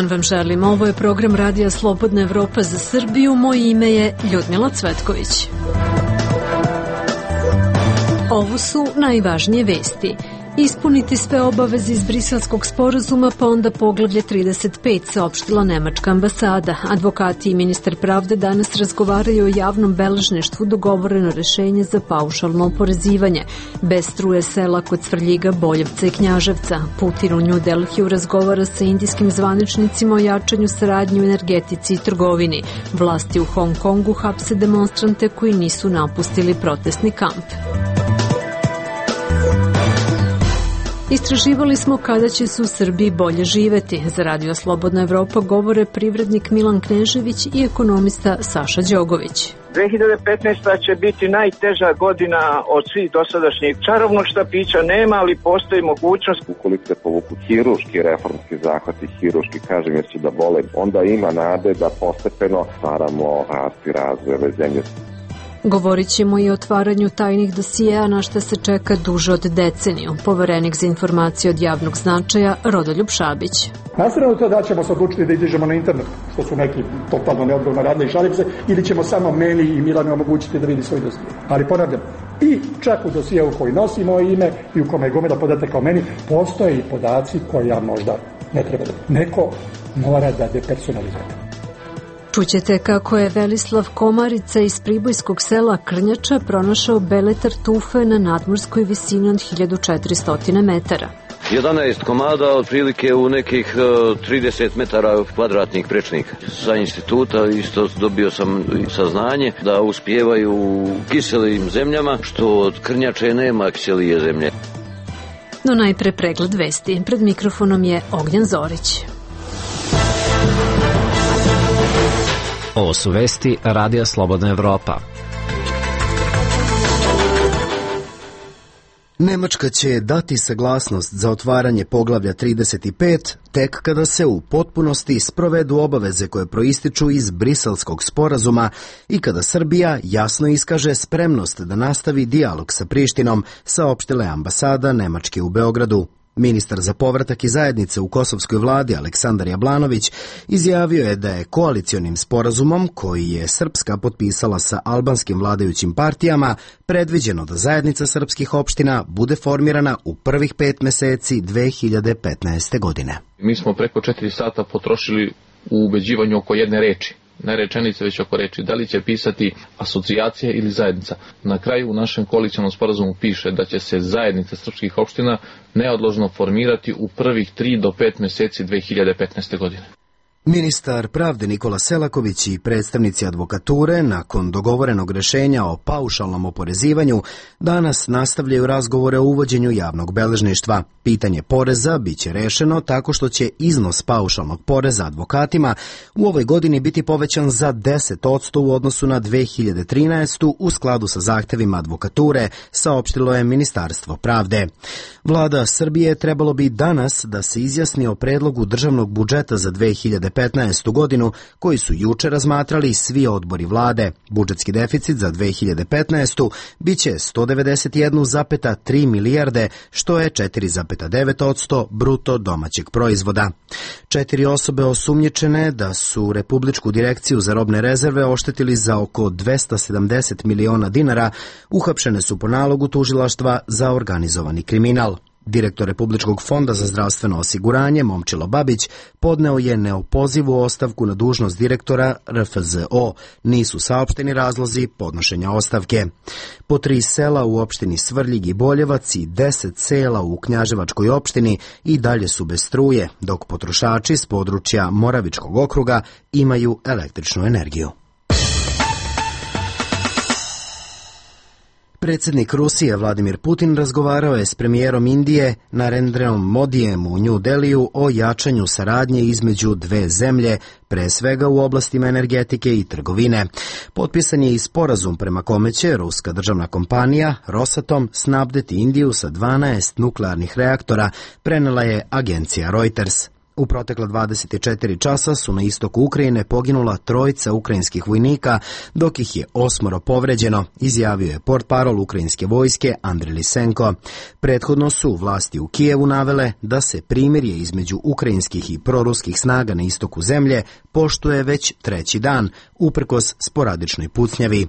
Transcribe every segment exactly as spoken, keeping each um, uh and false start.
vam želim. Ovo je program Radija Slobodna Evropa za Srbiju. Moje ime je Ljudmila Cvetković. Ovo su najvažnije vesti. Ispuniti sve obaveze iz Briselskog sporazuma, pa onda poglavlje trideset pet, saopštila nemačka ambasada. Advokati i ministar pravde danas razgovaraju o javnom beležništvu, dogovoreno rešenje za paušalno oporezivanje. Bez struje sela kod Svrljiga, Boljevca i Knjaževca. Putin u New Delhiju razgovara sa indijskim zvaničnicima o jačanju saradnje u energetici i trgovini. Vlasti u Hong Kongu hapse demonstrante koji nisu napustili protestni kamp. Istraživali smo kada će se u Srbiji bolje živeti. Za Radio Slobodna Evropa govore privrednik Milan Knežević i ekonomista Saša Đogović. dve hiljade petnaesta. će biti najteža godina od svih dosadašnjih. Čarobnog štapića nema, ali postoji mogućnost. Ukoliko se povuku hirurški reformski zahvati, hirurški kažem jer će da bole, onda ima nade da postepeno stvaramo rast i razvoj ove zemlje. Govorit ćemo i o otvaranju tajnih dosijeja na što se čeka duže od deceniju. Poverenik za informacije od javnog značaja Rodoljub Šabić. Nastavno to da ćemo se odlučiti da izađemo na internet, što su neki totalno neodgovorno radili i šalim se, ili ćemo samo meni i Milanu omogućiti da vidi svoj dosije. Ali ponavljam, i čak u dosijevu koji nosi moje ime i u kome je gomila podataka o meni, postoje i podaci koji ja možda ne treba da... Neko mora da depersonalizuje. Čućete kako je Velislav Komarica iz pribojskog sela Krnjača pronašao bele tartufe na nadmorskoj visini od hiljadu četiristo metara. jedanaest komada, otprilike u nekih trideset metara kvadratnih prečnika. Sa instituta isto dobio sam saznanje da uspijevaju u kiselim zemljama, što od Krnjače nema kiselije zemlje. No najpre pregled vesti. Pred mikrofonom je Ognjen Zorić. Ovo su vesti Radija Slobodna Evropa. Nemačka će dati saglasnost za otvaranje poglavlja trideset pet tek kada se u potpunosti sprovedu obaveze koje proističu iz Briselskog sporazuma i kada Srbija jasno iskaže spremnost da nastavi dijalog sa Prištinom, saopštila je ambasada Nemačke u Beogradu. Ministar za povratak i zajednice u kosovskoj vladi Aleksandar Jablanović izjavio je da je koalicionim sporazumom koji je Srpska potpisala sa albanskim vladajućim partijama predviđeno da zajednica srpskih opština bude formirana u prvih pet meseci dve hiljade petnaeste. godine. Mi smo preko četiri sata potrošili u ubeđivanju oko jedne reči. Ne rečenice, već oko reči. Da li će pisati asocijacija ili zajednica? Na kraju u našem koalicionom sporazumu piše da će se zajednica srpskih opština neodložno formirati u prvih tri do pet meseci dve hiljade petnaeste. godine. Ministar pravde Nikola Selaković i predstavnici advokature nakon dogovorenog rešenja o paušalnom oporezivanju danas nastavljaju razgovore o uvođenju javnog beležništva. Pitanje poreza biće rešeno tako što će iznos paušalnog poreza advokatima u ovoj godini biti povećan za deset posto u odnosu na dve hiljade trinaestu. u skladu sa zahtevima advokature, saopštilo je Ministarstvo pravde. Vlada Srbije trebalo bi danas da se izjasni o predlogu državnog budžeta za dve hiljade petnaestu. godinu, koji su juče razmatrali svi odbori vlade. Budžetski deficit za dve hiljade petnaestu. biće sto devedeset jedna zarez tri milijarde, što je četiri zarez devet posto bruto domaćeg proizvoda. Četiri osobe osumnjičene da su Republičku direkciju za robne rezerve oštetili za oko dvesta sedamdeset miliona dinara, uhapšene su po nalogu tužilaštva za organizovani kriminal. Direktor Republičkog fonda za zdravstveno osiguranje Momčilo Babić podneo je neopozivu ostavku na dužnost direktora R F Z O. Nisu saopšteni razlozi podnošenja ostavke. Po tri sela u opštini Svrljig i Boljevac i deset sela u Knjaževačkoj opštini i dalje su bez struje, dok potrošači s područja Moravičkog okruga imaju električnu energiju. Predsjednik Rusije Vladimir Putin razgovarao je s premijerom Indije Narendrom Modijem u New Delhiju o jačanju saradnje između dve zemlje, pre svega u oblastima energetike i trgovine. Potpisan je i sporazum prema kome će ruska državna kompanija Rosatom snabdeti Indiju sa dvanaest nuklearnih reaktora, prenela je agencija Reuters. U protekla dvadeset četiri časa su na istoku Ukrajine poginula trojica ukrajinskih vojnika, dok ih je osmoro povređeno, izjavio je portparol ukrajinske vojske Andriy Lisenko. Prethodno su vlasti u Kijevu navele da se primirje između ukrajinskih i proruskih snaga na istoku zemlje poštuje već treći dan, uprkos sporadičnoj pucnjavi.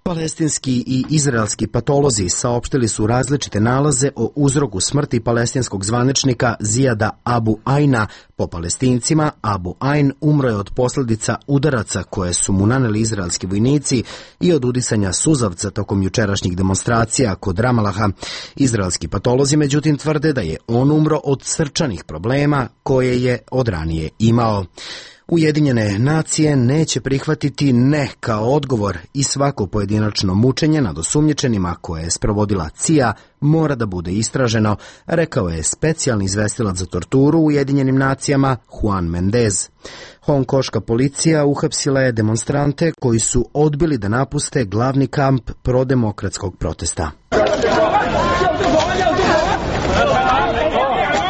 Palestinski i izraelski patolozi saopštili su različite nalaze o uzroku smrti palestinskog zvaničnika Zijada Abu Aina. Po Palestincima, Abu Ain umro je od posljedica udaraca koje su mu naneli izraelski vojnici i od udisanja suzavca tokom jučerašnjih demonstracija kod Ramalaha. Izraelski patolozi međutim tvrde da je on umro od srčanih problema koje je od ranije imao. Ujedinjene nacije neće prihvatiti ne kao odgovor i svako pojedinačno mučenje nad osumnjičenima koje je sprovodila C I A mora da bude istraženo, rekao je specijalni izvestilac za torturu u Ujedinjenim nacijama Juan Mendez. Hongkoška policija uhapsila je demonstrante koji su odbili da napuste glavni kamp prodemokratskog protesta.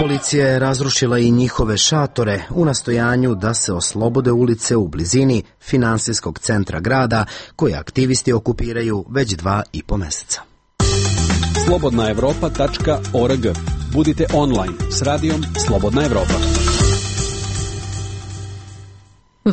Policija je razrušila i njihove šatore u nastojanju da se oslobode ulice u blizini finansijskog centra grada koje aktivisti okupiraju već dva i po meseca. slobodna evropa tačka org. Budite online s radijom Slobodna Evropa.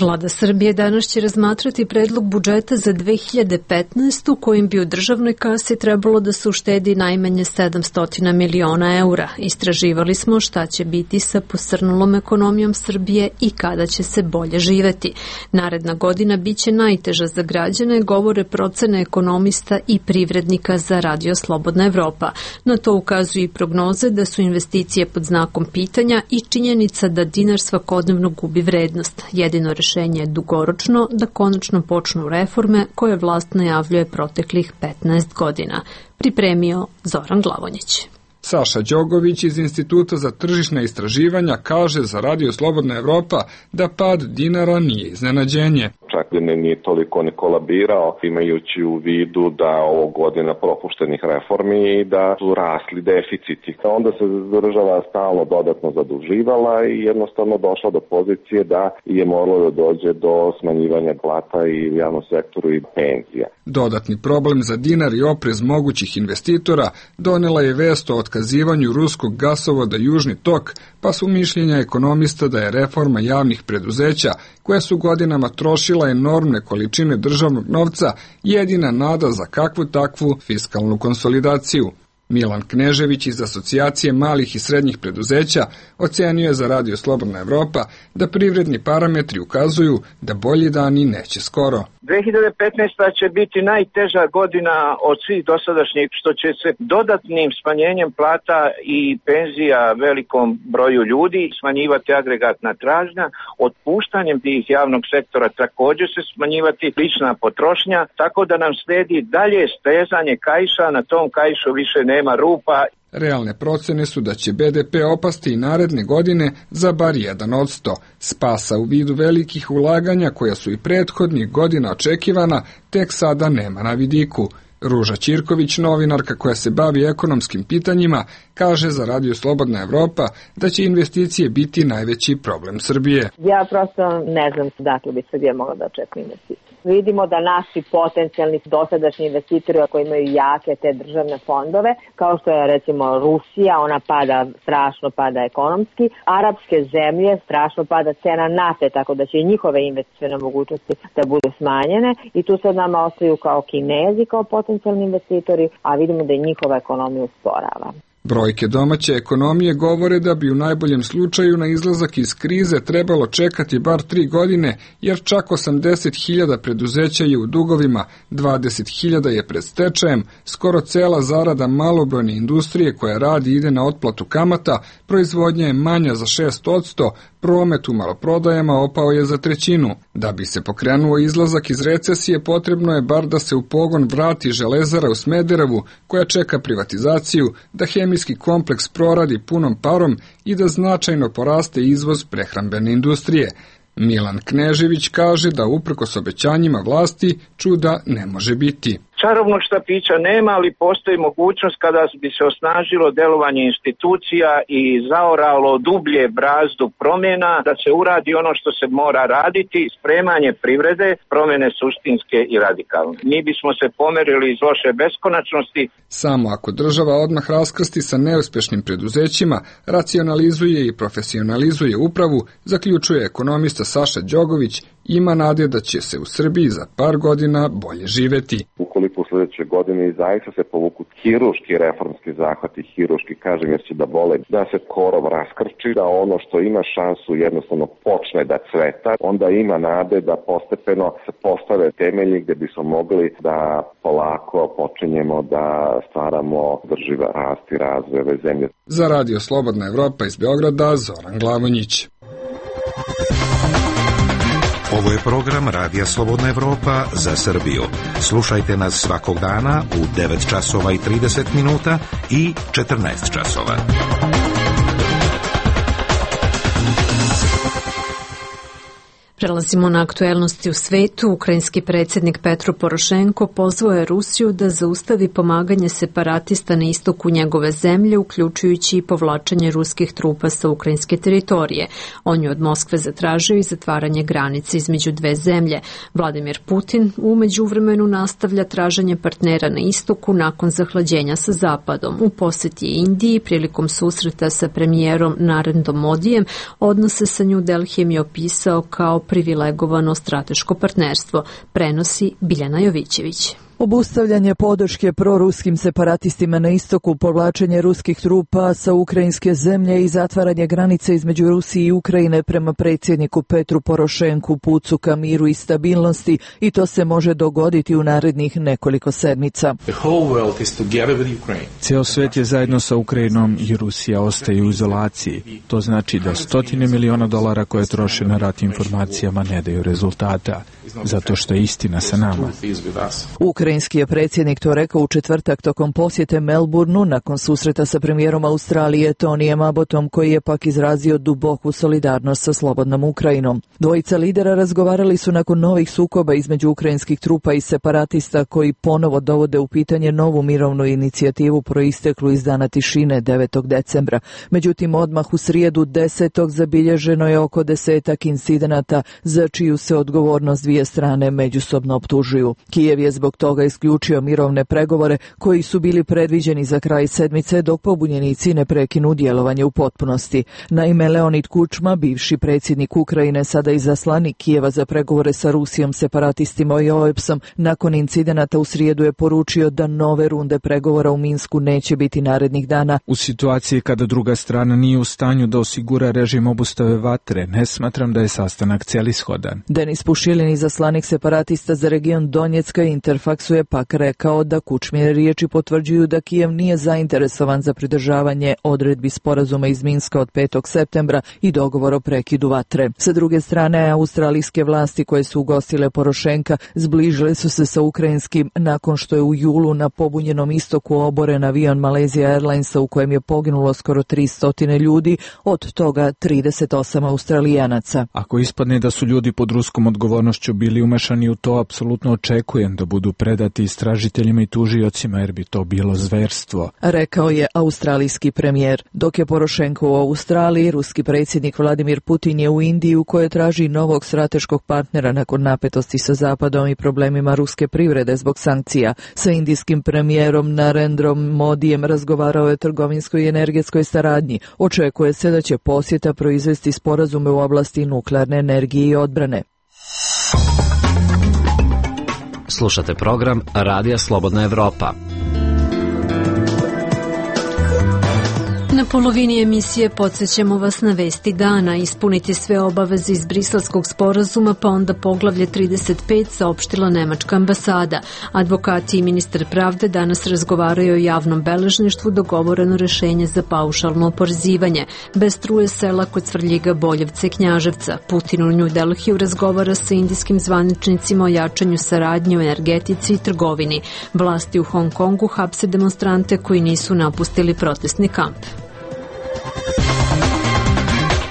Vlada Srbije danas će razmatrati predlog budžeta za dve hiljade petnaestu kojim bi u državnoj kasi trebalo da se uštedi najmanje sedamsto miliona eura. Istraživali smo šta će biti sa posrnulom ekonomijom Srbije i kada će se bolje živeti. Naredna godina biće najteža za građane, govore procene ekonomista i privrednika za Radio Slobodna Evropa. Na to ukazuju i prognoze da su investicije pod znakom pitanja i činjenica da dinar svakodnevno gubi vrednost. Jedino rešenje je dugoročno da konačno počnu reforme koje vlast najavljuje proteklih petnaest godina. Pripremio Zoran Glavonjić. Saša Đogović iz Instituta za tržišna istraživanja kaže za Radio Slobodna Evropa da pad dinara nije iznenađenje. Čak ne nije toliko ni kolabirao, imajući u vidu da ovo godina propuštenih reformi i da su rasli deficiti. Onda se država stalno dodatno zaduživala i jednostavno došla do pozicije da je moralo da dođe do smanjivanja plata i u javnom sektoru i penzija. Dodatni problem za dinar i oprez mogućih investitora donela je vest o otkazivanju ruskog gasovoda Južni tok, pa su mišljenja ekonomista da je reforma javnih preduzeća, koja su godinama trošila enormne količine državnog novca, jedina nada za kakvu takvu fiskalnu konsolidaciju. Milan Knežević iz Asocijacije malih i srednjih preduzeća ocenio je za Radio Slobodna Evropa da privredni parametri ukazuju da bolji dani neće skoro. dve hiljade petnaesta. će biti najteža godina od svih dosadašnjih, što će se dodatnim smanjenjem plata i penzija velikom broju ljudi smanjivati agregatna tražnja, otpuštanjem tih javnog sektora također se smanjivati lična potrošnja, tako da nam sledi dalje stezanje kaiša, na tom kaišu više nema rupa. Realne procene su da će be de pe opasti i naredne godine za bar jedan odsto. Spasa u vidu velikih ulaganja koja su i prethodnih godina očekivana tek sada nema na vidiku. Ruža Ćirković, novinarka koja se bavi ekonomskim pitanjima, kaže za Radio Slobodna Evropa da će investicije biti najveći problem Srbije. Ja prosto ne znam dakle bi Srbija mogla da očekuje investicije. Vidimo da naši potencijalni dosadašnji investitori koji imaju jake te državne fondove, kao što je recimo Rusija, ona pada, strašno pada ekonomski, arapske zemlje, strašno pada cena nafte, tako da će i njihove investicione mogućnosti da budu smanjene i tu sad nama ostaju kao Kinezi, kao potencijalni investitori, a vidimo da i njihova ekonomija usporava. Brojke domaće ekonomije govore da bi u najboljem slučaju na izlazak iz krize trebalo čekati bar tri godine, jer čak osamdeset hiljada preduzeća je u dugovima, dvadeset hiljada je pred stečajem, skoro cela zarada malobrojne industrije koja radi ide na otplatu kamata, proizvodnja je manja za šest odsto, promet u maloprodajama opao je za trećinu. Da bi se pokrenuo izlazak iz recesije, potrebno je bar da se u pogon vrati železara u Smederevu, koja čeka privatizaciju, da hemijski kompleks proradi punom parom i da značajno poraste izvoz prehrambene industrije. Milan Knežević kaže da uprkos obećanjima vlasti čuda ne može biti. Čarobnog štapića nema, ali postoji mogućnost kada bi se osnažilo delovanje institucija i zaoralo dublje brazdu promjena, da se uradi ono što se mora raditi, spremanje privrede, promjene suštinske i radikalne. Mi bismo se pomerili iz loše beskonačnosti. Samo ako država odmah raskrsti sa neuspešnim preduzećima, racionalizuje i profesionalizuje upravu, zaključuje ekonomista Saša Đogović, ima nade da će se u Srbiji za par godina bolje živeti. Ukoliko u sljedećoj godini zaista se povuku hiruški reformski zahvati, hiruški kažem jer će da bole, da se korov raskrči, da ono što ima šansu jednostavno počne da cveta, onda ima nade da postepeno se postave temelji gdje bismo mogli da polako počinjemo da stvaramo drživ rast i razvoj ove zemlje. Za Radio Slobodna Evropa iz Beograda, Zoran Glavonjić. Ovo je program Radija Slobodna Evropa za Srbiju. Slušajte nas svakog dana u devet časova i trideset minuta i četrnaest časova. Prelazimo na aktuelnosti u svetu. Ukrajinski predsjednik Petro Porošenko pozvao je Rusiju da zaustavi pomaganje separatista na istoku njegove zemlje, uključujući i povlačenje ruskih trupa sa ukrajinske teritorije. On je od Moskve zatražio i zatvaranje granice između dve zemlje. Vladimir Putin u međuvremenu nastavlja traženje partnera na istoku nakon zahlađenja sa zapadom. U posjeti Indiji prilikom susreta sa premijerom Narendom Modijem odnose sa New Delhijem je opisao kao privilegovano strateško partnerstvo, prenosi Biljana Jovićević. Obustavljanje podrške proruskim separatistima na istoku, povlačenje ruskih trupa sa ukrajinske zemlje i zatvaranje granice između Rusije i Ukrajine prema predsjedniku Petru Porošenku pucu ka miru i stabilnosti, i to se može dogoditi u narednih nekoliko sedmica. Ceo svet je zajedno sa Ukrajinom i Rusija ostaje u izolaciji. To znači da stotine miliona dolara koje troše na rat informacijama ne daju rezultata, zato što je istina sa nama. Ukrajinski je predsjednik to rekao u četvrtak tokom posjete Melbourneu nakon susreta sa premijerom Australije Tonijem Abbotom, koji je pak izrazio duboku solidarnost sa slobodnom Ukrajinom. Dvojica lidera razgovarali su nakon novih sukoba između ukrajinskih trupa i separatista koji ponovo dovode u pitanje novu mirovnu inicijativu proisteklu iz dana tišine devetog decembra. Međutim, odmah u srijedu desetog zabilježeno je oko desetak incidenata za čiju se odgovornost dvije strane međusobno optužuju. Kijev je zbog toga isključio mirovne pregovore koji su bili predviđeni za kraj sedmice dok pobunjenici ne prekinu djelovanje u potpunosti. Naime, Leonid Kučma, bivši predsjednik Ukrajine, sada izaslanik Kijeva za pregovore sa Rusijom, separatistima i O E P S-om, nakon incidenata u srijedu je poručio da nove runde pregovora u Minsku neće biti narednih dana. U situaciji kada druga strana nije u stanju da osigura režim obustave vatre, ne smatram da je sastanak celishodan. Denis Pušilin, izaslanik separatista za region Donjecka, Interfaksu je pak rekao da Kučmine riječi potvrđuju da Kijev nije zainteresovan za pridržavanje odredbi sporazuma iz Minska od petog septembra i dogovor o prekidu vatre. Sa druge strane, australijske vlasti koje su ugostile Porošenka zbližile su se sa ukrajinskim nakon što je u julu na pobunjenom istoku oboren avion Malaysia Airlinesa u kojem je poginulo skoro tristo ljudi, od toga trideset osam Australijanaca. Ako ispadne da su ljudi pod ruskom odgovornošću bili umešani u to, apsolutno očekujem da budu predati istražiteljima i tužiocima, jer bi to bilo zverstvo, rekao je australijski premijer. Dok je Porošenko u Australiji, ruski predsjednik Vladimir Putin je u Indiji, u kojoj traži novog strateškog partnera nakon napetosti sa Zapadom i problemima ruske privrede zbog sankcija. Sa indijskim premijerom Narendrom Modijem razgovarao je o trgovinskoj i energetskoj saradnji. Očekuje se da će posjeta proizvesti sporazume u oblasti nuklearne energije i odbrane. Slušate program Radija Slobodna Evropa. Na polovini emisije podsjećamo vas na vesti dana. Ispuniti sve obaveze iz Briselskog sporazuma, pa onda poglavlje trideset pet, saopštila nemačka ambasada. Advokati i ministar pravde danas razgovaraju o javnom beležništvu, dogovoreno rešenje za paušalno oporezivanje. Bez struje sela kod Svrljiga, Boljevca i Knjaževca. Putin u New Delhiju razgovara sa indijskim zvaničnicima o jačanju saradnje u energetici i trgovini. Vlasti u Hong Kongu hapse demonstrante koji nisu napustili protestni kamp.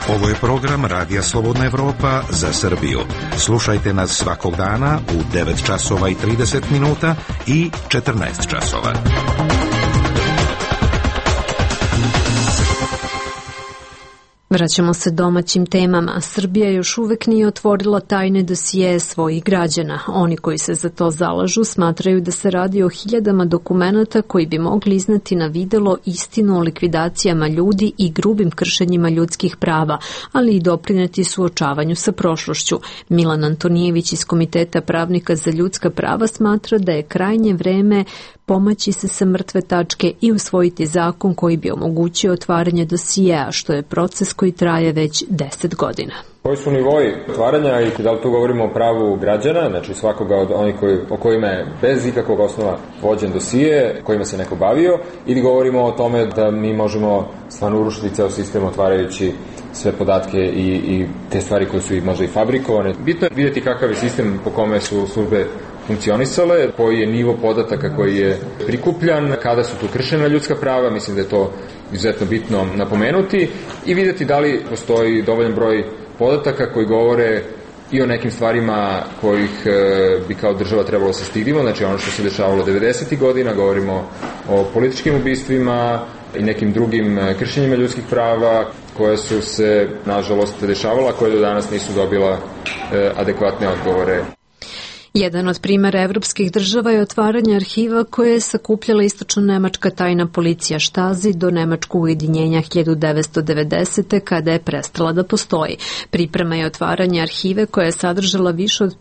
Ovo je program Radija Slobodna Evropa za Srbiju. Slušajte nas svakog dana u devet časova i trideset minuta i četrnaest časova. Vraćamo se domaćim temama. Srbija još uvek nije otvorila tajne dosije svojih građana. Oni koji se za to zalažu smatraju da se radi o hiljadama dokumenata koji bi mogli izneti na videlo istinu o likvidacijama ljudi i grubim kršenjima ljudskih prava, ali i doprineti suočavanju sa prošlošću. Milan Antonijević iz Komiteta pravnika za ljudska prava smatra da je krajnje vreme pomaći se sa mrtve tačke i usvojiti zakon koji bi omogućio otvaranje dosijeja, što je proces koji traje već deset godina. Koji su nivoi otvaranja i da li tu govorimo o pravu građana, znači svakoga od onih koji, o kojima je bez ikakvog osnova vođen dosije, kojima se neko bavio, ili govorimo o tome da mi možemo stvarno urušiti ceo sistem otvarajući sve podatke i, i te stvari koje su i možda i fabrikovane. Bitno je vidjeti kakav je sistem po kome su službe funkcionisale, koji je nivo podataka koji je prikupljan, kada su tu kršena ljudska prava, mislim da je to izuzetno bitno napomenuti, i vidjeti da li postoji dovoljan broj podataka koji govore i o nekim stvarima kojih e, bi kao država trebalo se stidimo, znači ono što se dešavalo devedesetih godina, govorimo o političkim ubistvima i nekim drugim kršenjima ljudskih prava koje su se, nažalost, dešavala, koje do danas nisu dobila e, adekvatne odgovore. Jedan od primera evropskih država je otvaranje arhiva koje je sakupljala istočno-nemačka tajna policija Štazi do nemačkog ujedinjenja hiljadu devetsto devedesete. kada je prestala da postoji. Priprema je otvaranje arhive koja je sadržala više od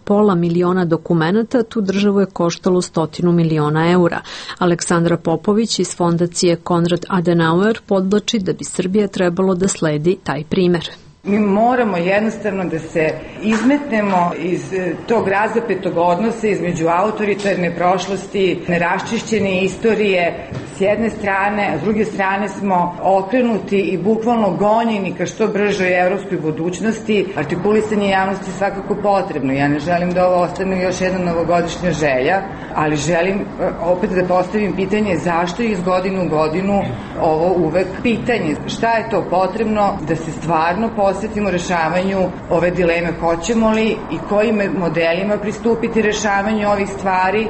pola miliona dokumenata, tu državu je koštalo stotinu miliona eura. Aleksandra Popović iz fondacije Konrad Adenauer podvlači da bi Srbija trebalo da sledi taj primer. Mi moramo jednostavno da se izmetnemo iz tog razapetog odnosa između autoritarne prošlosti, neraščišćene istorije s jedne strane, a s druge strane smo okrenuti i bukvalno gonjeni ka što bržoj evropskoj budućnosti. Artikulisanje javnosti je svakako potrebno. Ja ne želim da ovo ostane još jedna novogodišnja želja, ali želim opet da postavim pitanje zašto je iz godinu u godinu ovo uvek pitanje. Šta je to potrebno da se stvarno posvetimo rešavanju ove dileme, hoćemo li i kojim modelima pristupiti rešavanju ovih stvari.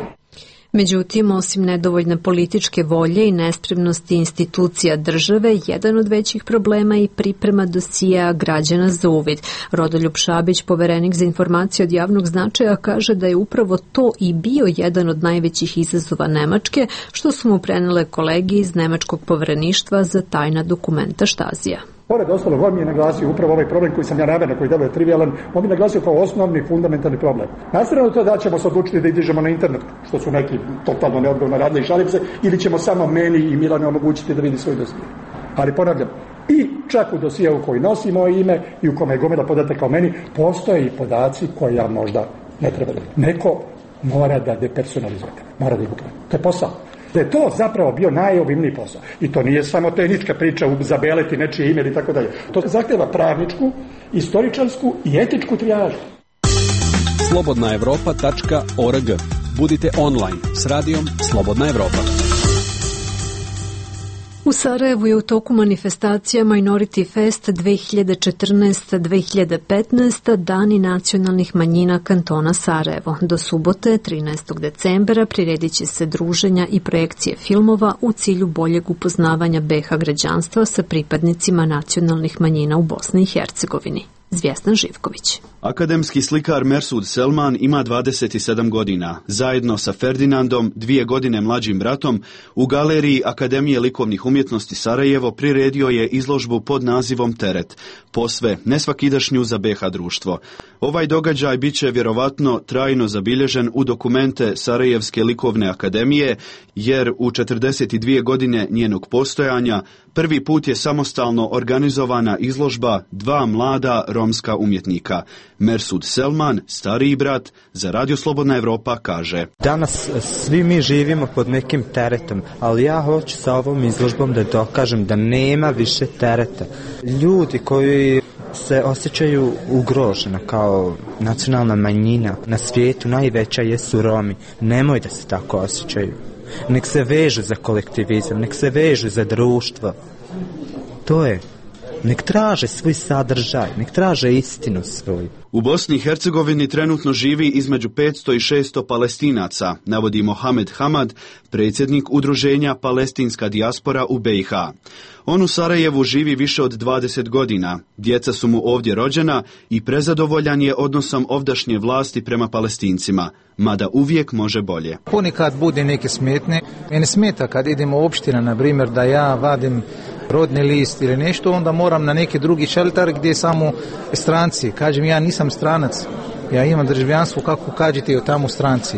Međutim, osim nedovoljne političke volje i nespremnosti institucija države, jedan od većih problema je i priprema dosija građana za uvid. Rodoljub Šabić, poverenik za informacije od javnog značaja, kaže da je upravo to i bio jedan od najvećih izazova Nemačke, što su mu prenele kolege iz Nemačkog povereništva za tajna dokumenta Štazija. Pored ostalog, on mi je naglasio upravo ovaj problem koji sam ja naveo, koji deluje trivialan, on mi je naglasio kao osnovni, fundamentalni problem. Nastavno to da ćemo se odlučiti da idižemo na internet, što su neki totalno neodgovorno radili i šalim se, ili ćemo samo meni i Milane omogućiti da vidi svoj dosije. Ali ponavljam, i čak u dosijeu koji nosi moje ime i u kome je gomila podataka o meni, postoje i podaci koje ja možda ne treba da... Neko mora da depersonalizuje, mora da ih ukloni. To je posao. Da je to zapravo bio najobimniji posao. I to nije samo tehnička priča zabeleti nečije ime ili tako dalje. To zahteva pravničku, istoričarsku i etičku trijažu. slobodna evropa tačka org. Budite online s radijom Slobodna Evropa. U Sarajevu je u toku manifestacija Minority Fest dve hiljade četrnaesta do dve hiljade petnaesta. Dani nacionalnih manjina kantona Sarajevo. Do subote, trinaestog decembra, priredit će se druženja i projekcije filmova u cilju boljeg upoznavanja be ha građanstva sa pripadnicima nacionalnih manjina u Bosni i Hercegovini. Zvjestan Živković. Akademski slikar Mersud Selman ima dvadeset sedam godina. Zajedno sa Ferdinandom, dvije godine mlađim bratom, u galeriji Akademije likovnih umjetnosti Sarajevo priredio je izložbu pod nazivom Teret, posve nesvakidašnju za be ha društvo. Ovaj događaj bit će vjerovatno trajno zabilježen u dokumente Sarajevske likovne akademije, jer u četrdeset dvije godine njenog postojanja prvi put je samostalno organizovana izložba dva mlada romska umjetnika. Mersud Selman, stariji brat, za Radio Slobodna Evropa kaže: Danas svi mi živimo pod nekim teretom, ali ja hoću sa ovom izložbom da dokažem da nema više tereta. Ljudi koji se osjećaju ugroženo kao nacionalna manjina na svijetu, najveća jesu Romi. Nemoj da se tako osjećaju. Nek se vežu za kolektivizam, nek se vežu za društvo. To je nek traže svoj sadržaj, nek traže istinu svoju. U Bosni i Hercegovini trenutno živi između petsto i šesto Palestinaca, navodi Mohamed Hamad, predsjednik udruženja Palestinska dijaspora u B i H. On u Sarajevu živi više od dvadeset godina, djeca su mu ovdje rođena i prezadovoljan je odnosom ovdašnje vlasti prema Palestincima, mada uvijek može bolje. Ponekad bude neke smetne. Mene smeta kad idemo u opština, na primjer, da ja vadim rodni list ili nešto, onda moram na neki drugi šelter gdje samo stranci. Kažem, ja nisam stranac, ja imam državljanstvo, kako kažete tamo stranci.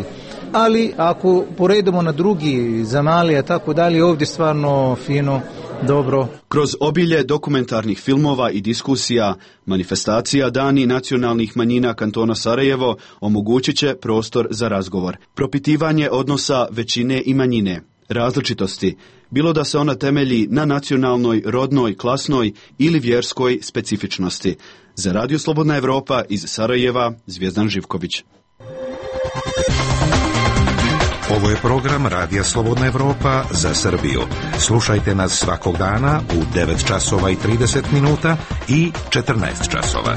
Ali ako poredimo na drugi zemalje, tako dalje, ovdje stvarno fino, dobro. Kroz obilje dokumentarnih filmova i diskusija, manifestacija Dani nacionalnih manjina kantona Sarajevo omogućit će prostor za razgovor. Propitivanje odnosa većine i manjine, različitosti, bilo da se ona temelji na nacionalnoj, rodnoj, klasnoj ili vjerskoj specifičnosti. Za Radio Slobodna Evropa iz Sarajeva, Zvijezdan Živković. Ovo je program Radija Slobodna Evropa za Srbiju. Slušajte nas svakog dana u devet časova i trideset minuta i četrnaest časova.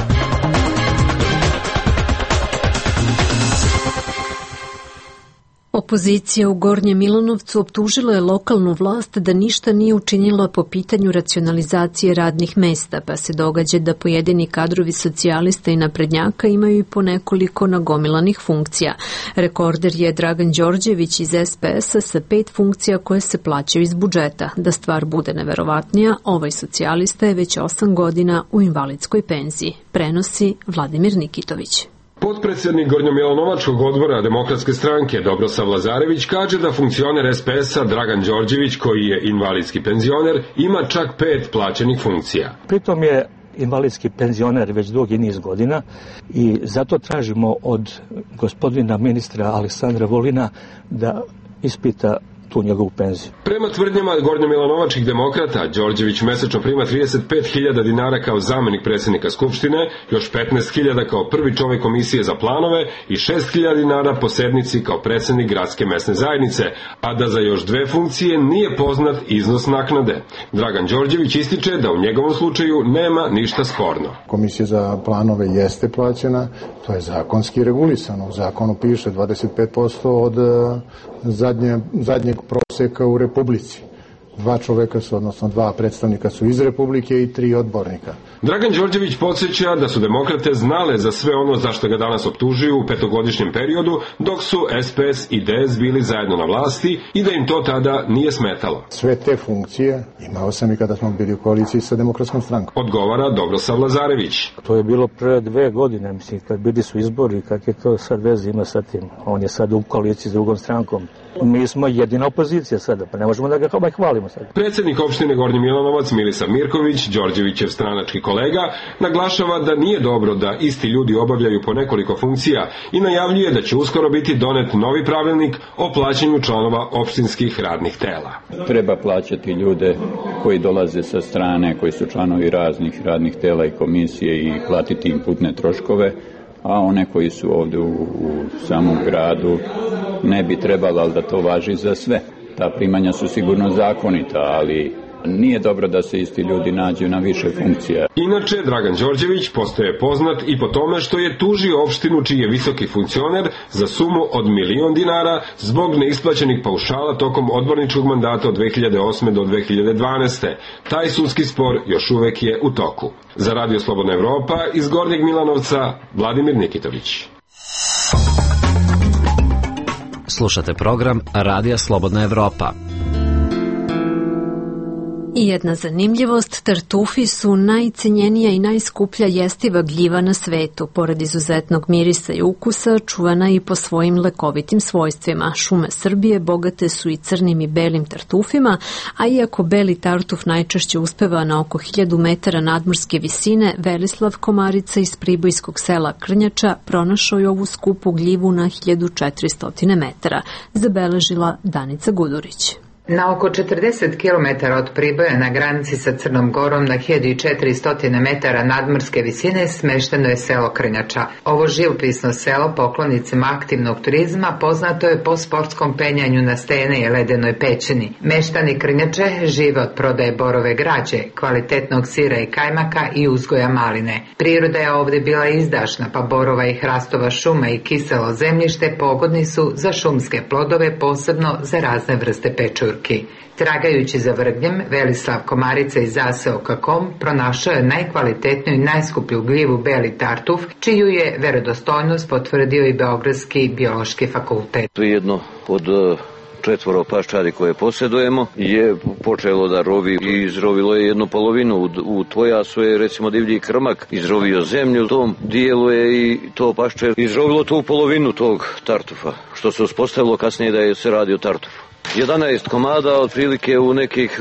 Opozicija u Gornjem Milanovcu optužila je lokalnu vlast da ništa nije učinila po pitanju racionalizacije radnih mesta, pa se događa da pojedini kadrovi socijalista i naprednjaka imaju i po nekoliko nagomilanih funkcija. Rekorder je Dragan Đorđević iz S P S-a sa pet funkcija koje se plaćaju iz budžeta. Da stvar bude neverovatnija, ovaj socijalista je već osam godina u invalidskoj penziji. Prenosi Vladimir Nikitović. Potpredsjednik Gornjomilanovačkog odbora Demokratske stranke Dobrosav Lazarević kaže da funkcioner S P S-a Dragan Đorđević, koji je invalidski penzioner, ima čak pet plaćenih funkcija. Pritom je invalidski penzioner već dugi niz godina i zato tražimo od gospodina ministra Aleksandra Vulina da ispita tu njegovu penziju. Prema tvrdnjama gornjomilanovačkih demokrata, Đorđević mesečno prima trideset pet hiljada dinara kao zamenik predsjednika Skupštine, još petnaest hiljada kao prvi čovjek komisije za planove i šest hiljada dinara po sednici kao predsjednik gradske mesne zajednice, a da za još dve funkcije nije poznat iznos naknade. Dragan Đorđević ističe da u njegovom slučaju nema ništa sporno. Komisija za planove jeste plaćena, to je zakonski regulisano. U zakonu piše dvadeset pet posto od zadnje, zadnjeg prosjeka u Republici. Dva čoveka su, odnosno dva predstavnika su iz Republike i tri odbornika. Dragan Đorđević podsjeća da su demokrate znale za sve ono zašto ga danas optužuju u petogodišnjem periodu, dok su S P S i D S bili zajedno na vlasti i da im to tada nije smetalo. Sve te funkcije imao sam i kada smo bili u koaliciji sa Demokratskom strankom. Odgovara Dobrosav Lazarević. To je bilo pre dve godine, mislim, kad bili su izbori, kak je to sad veze ima sa tim. On je sad u koaliciji s drugom strankom. Mi smo jedina opozicija sada, pa ne možemo da ga hvalimo sada. Predsjednik opštine Gornji Milanovac Milisav Mirković, Đorđevićev stranački kolega, naglašava da nije dobro da isti ljudi obavljaju po nekoliko funkcija i najavljuje da će uskoro biti donet novi pravilnik o plaćanju članova opštinskih radnih tela. Treba plaćati ljude koji dolaze sa strane, koji su članovi raznih radnih tela i komisije i platiti im putne troškove, a one koji su ovdje u, u samom gradu ne bi trebalo, ali da to važi za sve. Ta primanja su sigurno zakonita, ali nije dobro da se isti ljudi nađu na više funkcija. Inače, Dragan Đorđević postaje poznat i po tome što je tužio opštinu čiji je visoki funkcioner za sumu od milion dinara zbog neisplaćenih paušala tokom odborničkog mandata od dve hiljade osme do dve hiljade dvanaeste. Taj sudski spor još uvek je u toku. Za Radio Slobodna Evropa iz Gornjeg Milanovca, Vladimir Nikitović. Slušate program Radija Slobodna Evropa. I jedna zanimljivost, tartufi su najcenjenija i najskuplja jestiva gljiva na svetu. Pored izuzetnog mirisa i ukusa, čuvana i po svojim lekovitim svojstvima. Šume Srbije bogate su i crnim i belim tartufima, a iako beli tartuf najčešće uspeva na oko hiljadu metara nadmorske visine, Velislav Komarica iz pribojskog sela Krnjača pronašao je ovu skupu gljivu na hiljadu četiristo metara, zabeležila Danica Gudurić. Na oko četrdeset kilometara od Priboja na granici sa Crnom Gorom na hiljadu četiristo metara nadmorske visine smešteno je selo Krnjača. Ovo živopisno selo poklonicima aktivnog turizma poznato je po sportskom penjanju na stene i ledenoj pećini. Meštani Krnjače žive od prodaje borove građe, kvalitetnog sira i kajmaka i uzgoja maline. Priroda je ovdje bila izdašna, pa borova i hrastova šuma i kiselo zemljište pogodni su za šumske plodove, posebno za razne vrste pečurke. Tragajući za vrgnjem, Velislav Komarica iz zaseoka Kom pronašao je najkvalitetniju i najskuplju gljivu beli tartuf, čiju je verodostojnost potvrdio i Beogradski biološki fakultet. To je jedno od četvoro paščadi koje posjedujemo je počelo da rovi i izrovilo je jednu polovinu. U, u Tvojasu je recimo divlji krmak izrovio zemlju, u tom dijelu je i to pašče izrovilo tu polovinu tog tartufa, što se uspostavilo kasnije da je se radi o tartufu. jedanaest komada, otprilike u nekih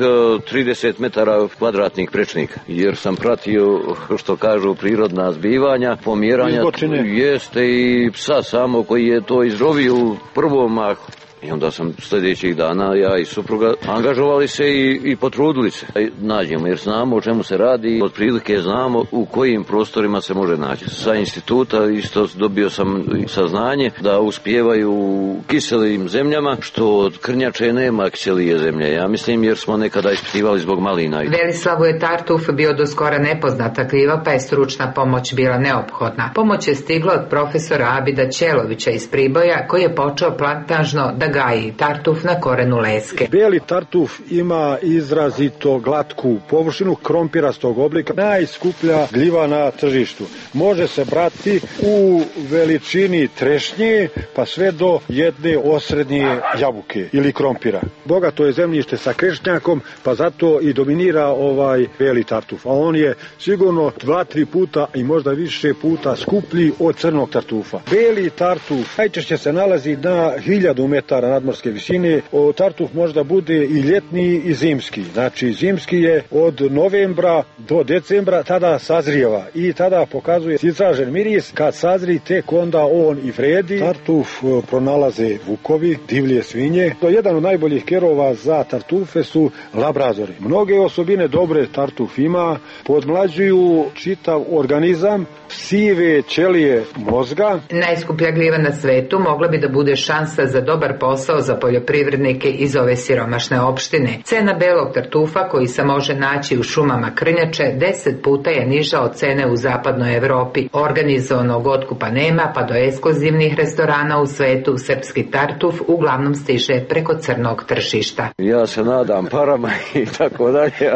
trideset metara kvadratnih prečnika, jer sam pratio, što kažu, prirodna zbivanja, pomjeranja, jeste i psa samo koji je to izrovio u prvom mahu. I onda sam sljedećih dana, ja i supruga, angažovali se i, i potrudili se. Nađemo, jer znamo o čemu se radi, otprilike znamo u kojim prostorima se može naći. Sa instituta isto dobio sam saznanje da uspijevaju u kiselim zemljama, što od Krnjače nema kiselije zemlje. Ja mislim, jer smo nekada ispitivali zbog malina. Velislavu je tartuf bio do skora nepoznata gljiva, pa je stručna pomoć bila neophodna. Pomoć je stigla od profesora Abida Ćelovića iz Priboja, koji je počeo plantažno da gaji tartuf na korenu leske. Beli tartuf ima izrazito glatku površinu, krompirastog oblika, najskuplja gljiva na tržištu. Može se brati u veličini trešnje pa sve do jedne osrednje jabuke ili krompira. Bogato je zemljište sa krešnjakom, pa zato i dominira ovaj beli tartuf. A on je sigurno dva, tri puta i možda više puta skuplji od crnog tartufa. Beli tartuf najčešće se nalazi na hiljadu metara nadmorske visine. O, tartuf možda bude i ljetni i zimski. Znači zimski je od novembra do decembra, tada sazrijeva i tada pokazuje izražen miris. Kad sazri, tek onda on i vredi. Tartuf pronalaze vukovi, divlje svinje. To je jedan od najboljih kerova za tartufe su labradori. Mnoge osobine dobre tartuf ima, podmlađuju čitav organizam, sive ćelije mozga. Najskuplja gljiva na svetu mogla bi da bude šansa za dobar posao za poljoprivrednike iz ove siromašne opštine. Cena belog tartufa, koji se može naći u šumama Krnjače, deset puta je niža od cene u zapadnoj Evropi. Organizovanog otkupa nema, pa do ekskluzivnih restorana u svetu srpski tartuf uglavnom stiže preko crnog tržišta. Ja se nadam parama i tako dalje,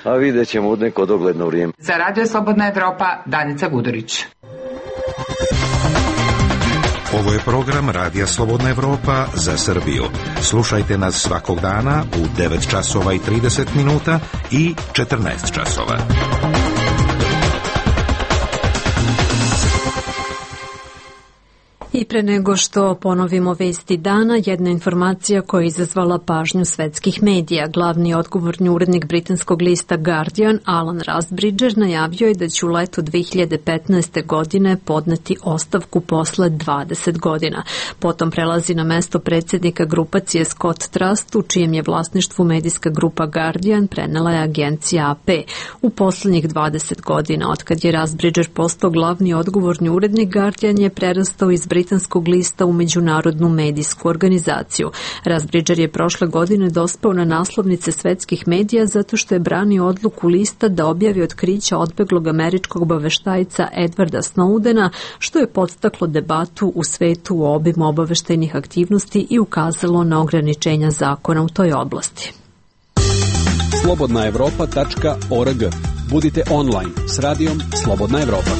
a vidjet ćemo u neko dogledno vrijeme. Za Radio Slobodna Evropa, Danica Gudurić. Ovo je program Radija Slobodna Evropa za Srbiju. Slušajte nas svakog dana u devet časova i trideset minuta i četrnaest časova. I pre nego što ponovimo vesti dana, jedna informacija koja je izazvala pažnju svetskih medija. Glavni odgovorni urednik britanskog lista Guardian, Alan Rusbridger, najavio je da će u letu dve hiljade petnaeste. godine podneti ostavku posle dvadeset godina. Potom prelazi na mesto predsjednika grupacije Scott Trust, u čijem je vlasništvu medijska grupa Guardian, prenela je agencija A P. U poslednjih dvadeset godina, otkad je Rusbridger postao glavni odgovorni urednik, Guardian je prerastao iz britanskog lista u međunarodnu medijsku organizaciju. Rusbridger je prošle godine dospao na naslovnice svetskih medija zato što je branio odluku lista da objavi otkrića odbeglog američkog obaveštajca Edwarda Snowdena, što je podstaklo debatu u svetu o obimu obaveštajnih aktivnosti i ukazalo na ograničenja zakona u toj oblasti. slobodna evropa tačka org. Budite online s radijom Slobodna Evropa.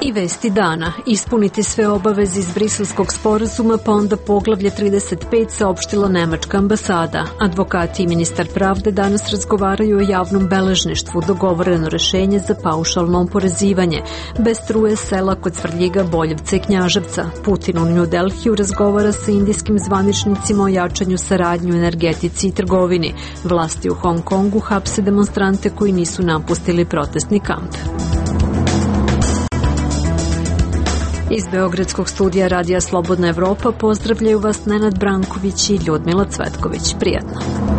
I vesti dana. Ispuniti sve obaveze iz Briselskog sporazuma, pa onda poglavlje trideset pet, saopštila nemačka ambasada. Advokati i ministar pravde danas razgovaraju o javnom beležništvu, dogovoreno rešenje za paušalno oporezivanje. Bez struje sela kod Svrljiga, Boljevca i Knjaževca. Putin u New Delhiju razgovara sa indijskim zvaničnicima o jačanju saradnje u energetici i trgovini. Vlasti u Hong Kongu hapse demonstrante koji nisu napustili protestni kamp. Iz Beogradskog studija Radija Slobodna Evropa pozdravljaju vas Nenad Branković i Ljudmila Cvetković. Prijatno.